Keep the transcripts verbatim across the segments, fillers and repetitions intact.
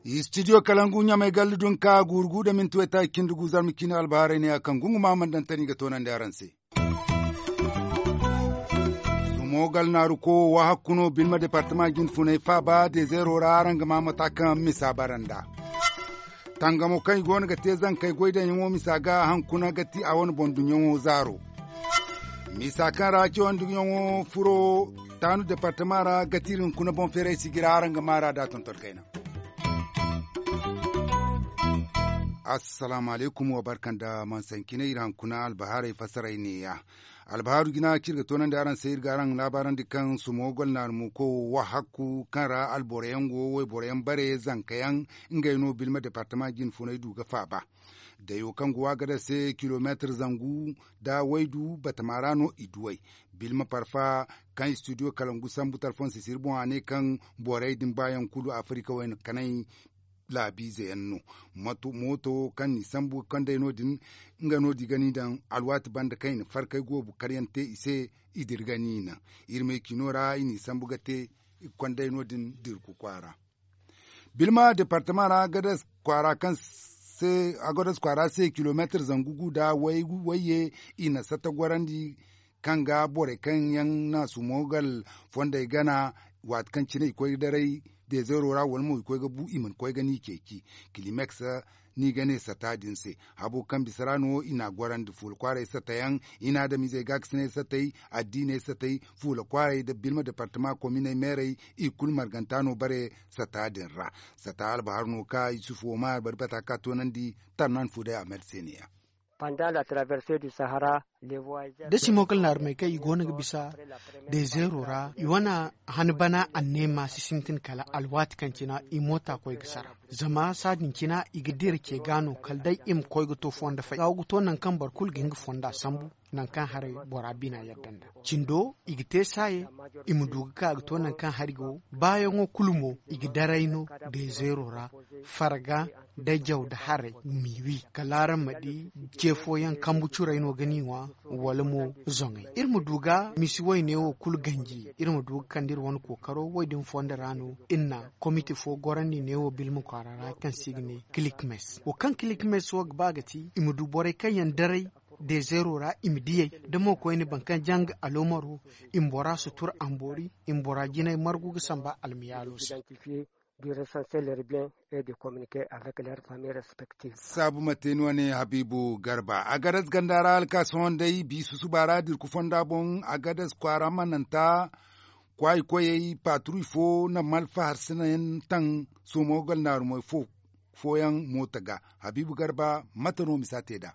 Istidiyo kalangu ɲamay galli dun ka guuru gu da minti waytaaci cindi gu zarma ciine albahaarey ne ya kaŋ gungu ma mana daŋ tani ga toonandi araŋ se. Sumo gal naaru ko wo hakku no bilma departama jinfunay faaba dezeero ra araŋ ga ma mata kaŋ misa bara nd'a. Tangamo kaŋ i go no ga te zankey goy daŋyaŋo misa ga hankuna ga ti a wane boŋ dunyaŋo zaaro. Misa kaŋ ra cawandi yaŋo furo taanu departama ra ga ti iri hunkuna boŋ feeray sijira araŋ ga maara da tonton kayna. Assalaamu alaykum wa barka nda mansancinay iri hankuna albahaarey fasaray neeya. Albahaaru jina kaŋ iri ga toonandi araŋ se iri ga araŋ laabaarandi kaŋ sumo gol naaru mo ko wo hakku kaŋ ra alboro yaŋ go wayboro yaŋ bare zanka yaŋ ngey no bilma departama jinfunay du ga faaba. Dayo kaŋ go a ga daŋ se kilomeetir zangu nda waydu batama ra no i duw'ey. Bilma parfa kaŋ istidiyo kalangu sambu talfoŋ sisiri boŋ a ne kaŋ borey din baayaŋ kulu afirika wayna kanay laabiize yaŋ no. Mooto kaŋ n'i sambu ga kand'ey no- din nga no di ga ni daŋ alwaati banda kaŋ i na farkay goobu karyaŋ te i se. I dira ga ni naŋ iri may cino ra i n'i sambu ga te i ga kond'ey no- din dirku kwaara. Bilma departama ra agadas kwaara kaŋ se agadas kwaara se kilomeetir zangu gu nda wayye i na satta gorandi kaŋ ga borey kaŋ yaŋ na sumo gal fondey gana waati kaŋ cine i koy ga daray dezeero ra wala mo i koy ga bu i mana koy ga ni ceeci. Kilimeks ni ga ne satta din se habo kaŋ bisa ra no i n'a gorandi fuula kwaaray satta yaŋ i na adamizey gaakasinay sattey addiiney sattey fuula kwaaray nda bilma departama kominey meerey i kulu marganta no bare satta din ra. Satta albahar no ka yusuf omar bari bata ka toonandi tarnan fu day amer se ne ya. Panda la traverse du sahara. Da simo kala naarumey kaŋ i go no ga bisa dezeero ra i wane han bana anneema si sintin kala alwaati kaŋ cina i moota koy ga sara. Zama saadin cina i ga dira ce ga no kala day i ma koy ga to fondo fay ga ga to nangu kaŋ boro kulu ga hin ga fonda sambu nangu kaŋ haray bora bina yadda nda cindo i ga te saaye. I ma du ga ka ga to nangu kaŋ hari go baayaŋo kulu mo i ga daray no dezeero ra farga da jaw da haray m'i wi kala araŋ ma di ce fooyaŋ kambu curey no ga ni ŋwa wala mo zoŋey iri ma du ga misi wayne wo kulu ganji iri ma du ga kande iri wane kookaro wo- din fondo ra no iri na komite fo gorandi neewo bilma kwaara ra kaŋ se i ga ne kilikmes wo kaŋ kilikmes wo ga ba ga ti i ma du borey kaŋ yaŋ daray dezeero ra i ma diyey da mo koyne boro kaŋ janga aloomaro i ma bora sutura amboori i ma bora jinay margu ga samba almiyaalo se. Du recenser leurs biens et de communiquer avec leurs familles respectives. Saabu mate ni wane habiibu garba agadas ganda ra alkaasi hondey biisu suba ra dirku fonda boŋ agadas kwaara mananta kwaayi koyey paaturuy fo na malfa harsina yaŋ taŋ soomo galnaarumey fo fooyaŋ moota ga. Habiibu garba mate no misa te nd'a?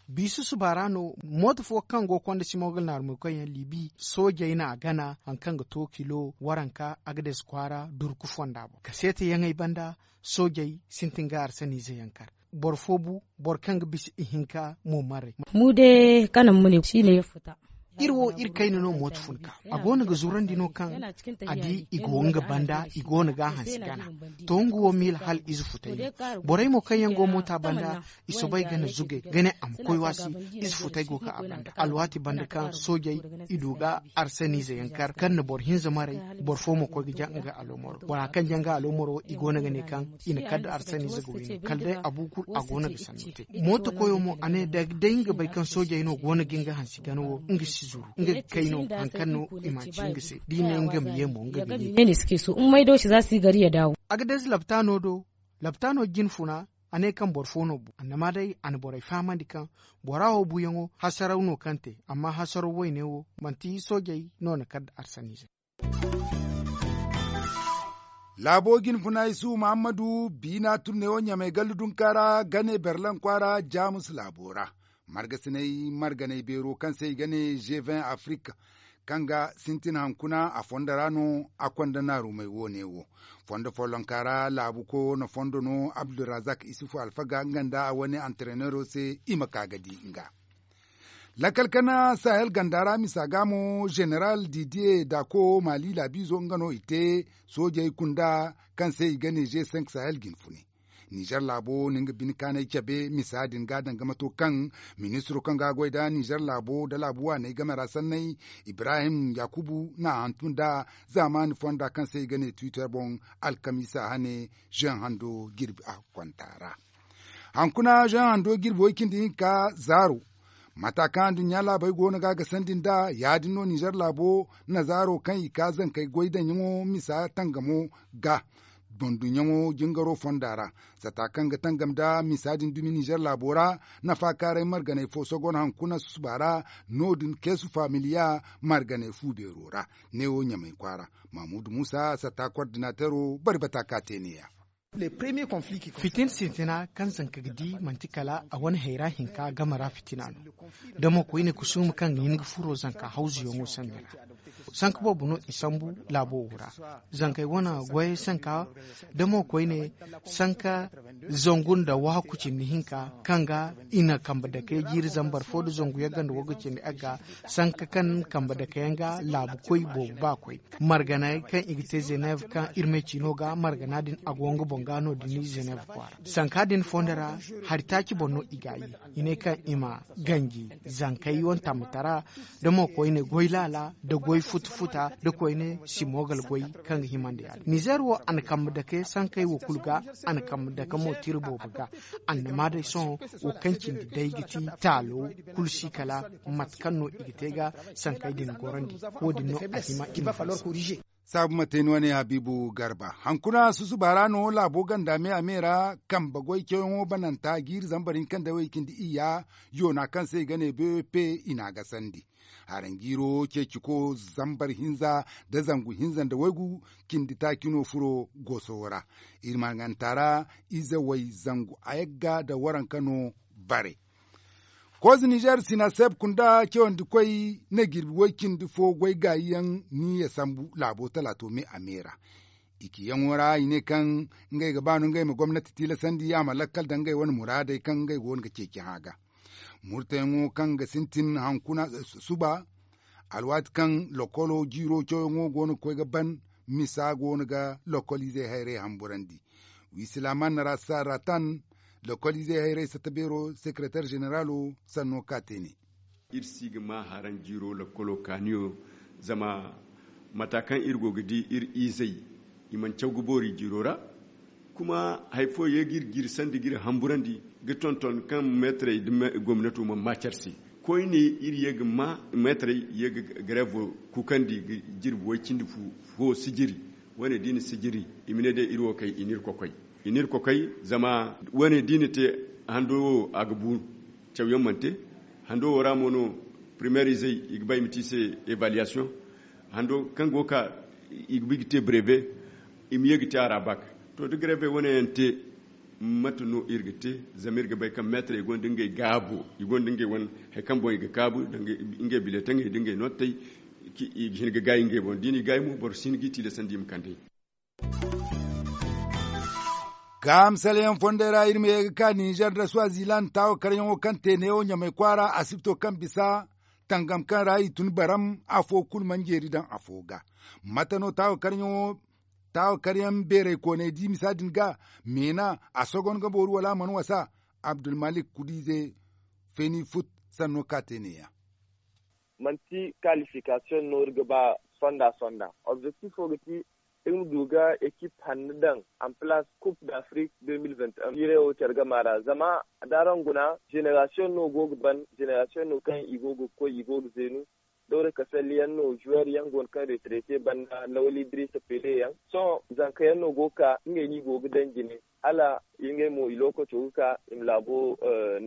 Biisu suba ra no mooto fo kaŋ go konda simogal naarumey koyyaŋ libi soojey no a gana hari kaŋ ga to kilo waranka agades kwaara durku fonda boŋ kaseete yaŋey banda soojey sintin ga arsaniize yaŋ kar. Boro fo bu boro kaŋ ga bisa ihinka mo marey. Mu de kanan mu ne si ne ya futa. Iri wo iri kayna no mooto fun ka a go no ga zurandi no kaŋ a di i go nga banda i go no ga a hansi gana. To nga wo miila hala ize futay no borey mo kaŋ yaŋ go moota banda i soobay ga na zugay ga ne a ma koy waasi. Ize futay go ga a banda alwaati banda kaŋ soojey i du ga arsaniize yaŋ kar kaŋ na boro hinza maray. Boro fo mo koy ga ja nga aloomaro bora kaŋ ja nga aloomaro i go no ga ne kaŋ i na kar da arsaniize ga wayno kala day abu kulu a go no ga sanno te. Mooto koyo mo a ne da day nga bay kaŋ soojey no go no ga nga hansi gana wo nga si zuru nga ga kay no hari kaŋ no i ma ci nga se da i ne nga ma ye mo nga ga ye. Agades laptaano do laptaano jin funa a ne kaŋ boro fo no bu annama day a na borey fahamandi kaŋ bora wo buyaŋo hasaraw no kaŋ te amma hasaraw wayne wo manti soojey no na kar da arsaniize. Laabo jin funa isu muhammadu biina turney wo ɲamey gallu dunka ra gane berlaŋ kwaara jaamus laabo ra margasiney marganey beero kaŋ se i ga ne g vingt afirika kaŋ ga sintin hankuna a fondo ra no a konda naarumey wo-ne wo. Fondo follonka ra laabu koyo na fondo no abdulrazak isufu alfaga nga nda a wane antereneero se i ma ka ga di nga. Lakkal kana sahel ganda ra misa ga mo zeneral didier dako mali laabiizo nga no i te soojey kunda kaŋ se i ga ne g cinq sahel jin fune. Nizer laabo na nga bine kaanay cabe misa din ga danga mato kaŋ ministiro kaŋ ga goy nda nizer laabo nda laabu waaney game ra sanney, ibrahim yakubu n'a hantum nda zaamaani fonda kaŋ se i ga ne twitter boŋ, alkamiisa hane zeŋ hando jirbi a kwanta ra. Hankuna zeŋ hando jirbi way- cindi hinka zaaro. Mata kaŋ aduɲɲa laabey go no ga a gasandi nd'a, ya- din no nizer laabo na zaaro kaŋ i ka zankey goy daŋyaŋo misa tangamo ga, boŋ duɲɲaŋo jingaro fonda ra. Sata kaŋ ga tangam nda misa din dumi nizer laabo ra, nafa kaaray marganey fo sogon hankuna susuba ra. No- din keesu faamiliya marganey fu beero ra. Neewo ɲamay kwaara. Mamuudu muusa sata kordinatero bari bata ka te neeya. Fitin sintina kaŋ zanka ga di manti kala a wane hayra hinka game ra fitina no. Da mo koyne kusuuma kaŋ ga hin ga furo zanka hawzuyaŋo sanda ra. Sanka boobo no i sambu laabo wo ra. Zankey wane goyey sanka da mo koyne sanka zangu nda waaku cindi hinka kaŋ ga i na kambe dakey jiiri zambar fo nda zangu yagga nda wagga cindi yagga. Sanka kaŋ kambe dakayaŋ ga laabu koy boobo ba koy marganey kaŋ i ga te zenev kaŋ iri ma ay ci no ga margana din a go nga boŋ ga no- din zenev kwaara sanka din fondo ra. Hari taaci boŋ no i ga ye i ne kaŋ i ma ganji zankey wane tambatara da mo koyne goy laala nda goy futa futa nda koyne simogal goy kaŋ ga himandi ya- din nizer wo a na kambe dake sankey wo kulu ga. A na kambe dake mo tira boobo ga. Annama day sohõ wo kaŋ cindi day ga ti taalo kulu si kala mate kaŋ no i ga te ga sankey din gorandi. Wo- din no a hima i ma saabu ma te ni wane habiibu garba hankuna susuba ra no laabo ganda me a me ra kambe goy cawyaŋo bananta jiiri zambar hinka nda way- cindi iyya yoona kaŋ se i ga ne b p i n'a gasandi. Haranjiiro ceeciko zambar hinza nda zangu hinza nda waygu cindi taaci no furo gooso wo ra. Iri marganta ra ize way zangu a yagga nda waranka no bare. Koze nizer sinaseb kunda cawandi koy na jirbi way- cindi fo goy gaayi yaŋ ni ya sambu laabo talaato me a me ra. I ciyaŋo ra i ne kaŋ ngey ga ba no ngey ma gomnati tilasandi a ma lakkal daŋ ngey wane muraadey kaŋ ngey go no ga ceeci hã ga. Murtayaŋo kaŋ ga sintin hankuna suba alwaati kaŋ lokolo jiiro cawyaŋo go no ga koy ga ban misa go no ga lokoliizey hayray hamburandi. Wi silaaman na ra saara tan lokoliizey hayray satta beero sekeretar zeneraalo sanno ka te ne. Iri si ga ma haranjiiro lakkolo kaaniyo zama mata kaŋ iri go ga di iri izey i mana caw ga boori jiiro ra. Kuma hari fo ye ga iri jiiri sandi ga iri hamburandi ga tonton kaŋ meetarey nda gomnato mana ma care se. Koyne iri ye ga ma meetarey ye ga gareevo kuukandi ga jirbi way- cindi fu fo sijiri. Wane da i na sijiri i ma ne day iri wo kay i n'iri kokoy i n'iri kokoy. Zama wane da i na te hando wo a ga bu. Cawyaŋ mana te hando wo ra mo no primeer izey i ga ba i ma te i se evaluation. Hando kaŋ go ga ka i ga ba i ga te breve i ma ye ga te a ra bak. To da greve wane yaŋ te mate no iri ga te? Zama iri ga bay kaŋ meetarey gonda ngey gaabo i gonda ngey wane hari kaŋ boŋ i ga kaabu ngey biletaŋey nda ngey nootey. I ga hin ga gaayi ngey boŋ da i n'i gaayi mo boro si hin g'i tilasandi i ma kand'ey. Ga misalyaŋ fondey ra iri ma ye ga ka ninzeer nda swaziland taawa karyaŋo kaŋ te neewo ɲamay kwaara asibto kaŋ bisa tangam kaŋ ra i tun baram afo kulu mana jeeri daŋ afo ga. Mate no taawa karyaŋ beerey kooney di misa din ga meena a sogon ga booru wala a mana wasa? Abdulmalik kudiize feeni fut sanno ka te neeya. Manti kalifikasiyoŋ no iri ga ba sonda sonda. Objektifo ga ti iri ma du ga ekip hanno daŋ en palaas kup d'afrik. Jiirey wo care gama ra zama da araŋ guna zenerasiyoŋ no go ga ban zenerasiyoŋ no kaŋ i go ga koy i go ga zeenu. Dawra kasalli yaŋ no zuweer yaŋ go no kaŋ retrete banda lawal idrisa pele yaŋ sohõ zanka yaŋ no go ga ka ngey no i go ga daŋ jine hala ngey mo i lookaco ga ka i ma laabo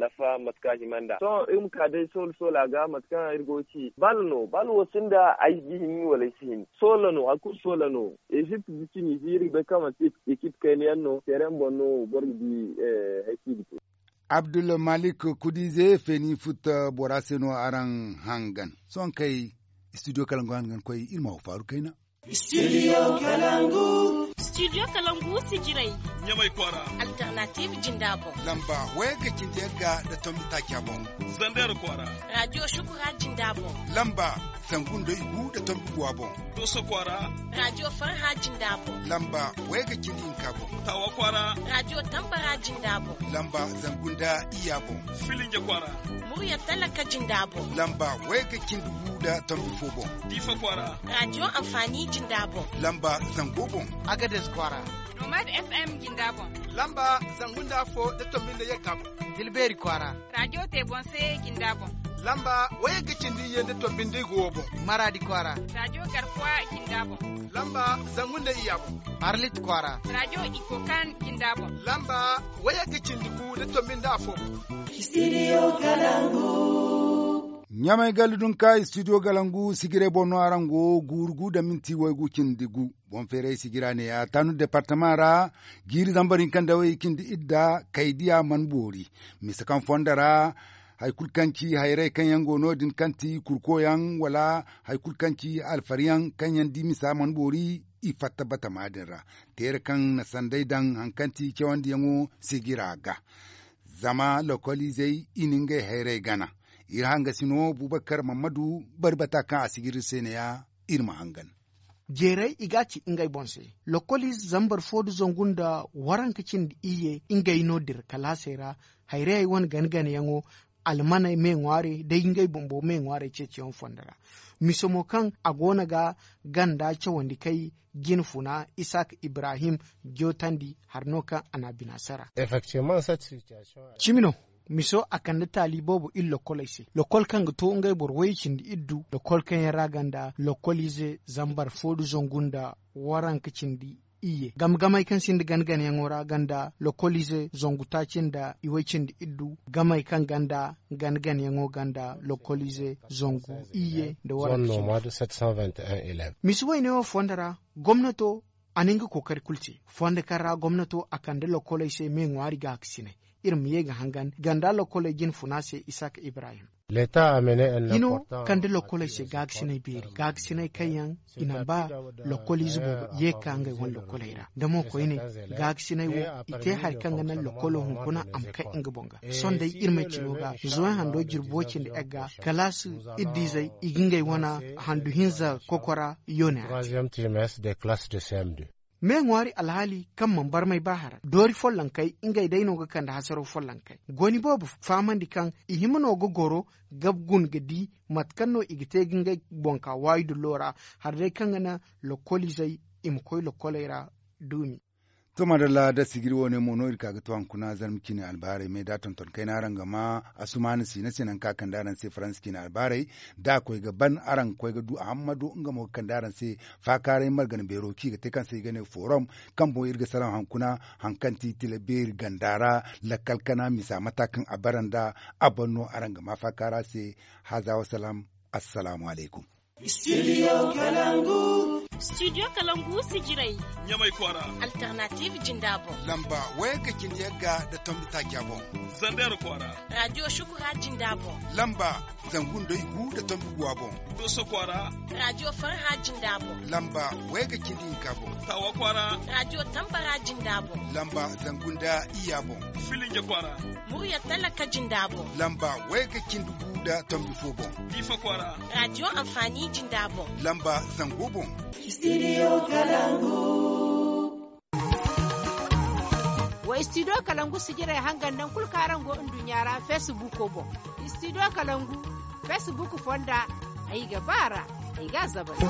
nafa mate kaŋ a hima nd'a. Sohõ iri ma ka day soola soola ga mate kaŋ iri go ga ci bal no bal wo sinda ay ga hin wala ay si hin soola no hari kulu soola no. Ezipt da tinizi iri ga bay kaŋ manti ekip kayna yaŋ no teereŋ boŋ no boro ga di. Hari kaŋ i ga te. Abdulmalik kudize feeni futta bora se no araŋ hangan sohõ kay studio kalangu hangan koy iri ma wo faaru kayna. Studio kalangu. Studio kalangu sijirey. Ɲamay kwaara. Alternative jinda boŋ. Lamba wayagga cindi yagga nda tombi taaca boŋ. Zander kwaara. Radio shukura jinda boŋ. Lamba zangu nda igu nda tombi guwa boŋ. Doso kwaara. Radio farha jinda boŋ. Lamba wayagga cindi hinka boŋ. Tawa kwaara. Radio tambara jinda boŋ. Lamba zangu nda iyya boŋ. Filinja kwaara. Murya talaka jinda boŋ. Lamba wayagga cindi gu nda tombi fo boŋ. Diifa kwaara. Radio amfani jinda boŋ. Lamba zango boŋ. Agades kwaara. Nomad FM jinda boŋ. Lamba zangu nda afo nda tombi nda yagga boŋ. Dilbeeri kwaara. Radio tebonse jinda boŋ. Lamba wayagga cindi iyye nda tombi nda igu wo boŋ. Maraadi kwaara. Radio garkuwa jinda boŋ. Lamba zangu nda iyya boŋ. Arlit kwaara. Radio ikokan jinda boŋ. Lamba wayagga cindi gu nda tombi nda afo boŋ. Studio kalangu. Ɲamay galli dunka studio galangu sijirey boŋ no araŋ go guuru gu nda minti waygu cindi gu. Boŋ feeray sijira neeya taanu departama ra. Jiiri zambar hinka nda way cindi idda kaydiya mana boori. Mise kaŋ fondo ra hari kulu kaŋ ci hayrey kaŋ yaŋ go no- din kaŋ ti kurko yaŋ wala hari kulu kaŋ ci alfari yaŋ kaŋ yaŋ di misa mana boori. I fatta batama din ra teere kaŋ na sanday daŋ hari kaŋ ti cawandiyaŋo sijira ga. Zama lokoliizey i na ngey hayrey gana. Iri hangasino bubakar mammadu bari bata kaŋ a sijira iri se neeya. Iri ma hangan. Jeeray i ga a ci ngey boŋ se. Lokoliize zambar fo nda zangu nda waranka cindi iyye ngey no dira kalaasey ra. Hayrayey wane gana ganayaŋo almaney me ŋwaarey day ngey bumbo me ŋwaarey ceeciyaŋo fondo ra. Mise mo kaŋ a go no ga ganda cawandi kay jine funa isaak ibrahim jootandi hari no kaŋ a na a bina sara. Cimi no. Miso a kande taali boobo iri lokkoley se lokol kaŋ ga to ngey boro wayye cindi iddu lokol kaŋ yaŋ ra ganda lokkoliize zambar fo nda zangu nda waranka cindi iyye game gamey kaŋ sinda gana ganayaŋo ra ganda lokkoliize zangu taaci nda iway cindi iddu gamey kaŋ ganda gana ganayaŋo ganda lokkoliize zangu iyye nda waranka cindi. Misi wayne wo fondo ra gomnato a na nga kookari kulu te. Fondo kaŋ ra gomnato a kande lokkoley se me ŋwaari gaakasinay. Iri ma ye ga hangan ganda lokkoley jine funa se isaak ibrahim. Hino kande lokkoley se gaakasinay beeri gaakasinay kaŋ yaŋ i na ba lokkoliize boobo ye ga ka ngey wane lokkoley ra da mo koyne gaakasinay wo i te hari kaŋ ga naŋ lokkolo hunkuna a ma kay nga boŋ ga. Sohõ day iri may cino ga zoy hando jirbo cindi egga kalaasi iddiizey i ga ngey wane handu hinza kokora yoone ra. Me ŋwaari alhaali kaŋ mana barmay ba hara doori follonkey ngey day no ga kande hasaraw follonkey goni boobo fahamandi kaŋ i hima no ga goro ga gun ga di mate kaŋ no i ga te ga ngey boŋ ka waayi dullo ra. Hala day kaŋ ga naŋ lokkoliizey i ma koy lokkoley ra duumi. To madalla da sijiri wo- ne mo no iri ka ga to hankuna zarma ciine albaarey me da tonton kayna araŋ ga ma asumaana siina se nangu kaŋ a kande araŋ se faransa ciine albaarey da a koy ga ban araŋ ga koy ga du ahammado nga mo ga kande araŋ se. Faakaaray margana beero kaŋ i ga te kaŋ se i ga ne forom kaŋ boŋ iri ga salaŋ hankuna hari kaŋ ti tila beeri ganda ra lakkal kana misa mata kaŋ a bara nda a ban no araŋ ga ma faakaara se. Haza wasalam. Assalaamu alaykum. Studio kalangu. Studio kalangu sijirey. Ɲamay kwaara. Alternative jinda boŋ. Lamba wayagga cindi yagga nda tombi taaca boŋ. Zander kwaara. Radio shukura jinda boŋ. Lamba zangu nda igu nda tombi guwa boŋ. Doso kwaara. Radio farha jinda boŋ. Lamba wayagga cindi hinka boŋ. Tawa kwaara. Radio tambara jinda boŋ. Lamba zangu nda iyya boŋ. Filinja kwaara. Murya talaka jinda boŋ. Lamba wayagga cindi gu nda tombi fo boŋ. Diifa kwaara. Radio amfani jinda boŋ. Lamba zango boŋ. Studio kalangu. Wa studio kalangu sijirey hangan nangu kulu kaŋ araŋ go nduɲɲa ra facebook boŋ. Studio kalangu facebook fonda ay ga ba ra. Ay ga a zabari.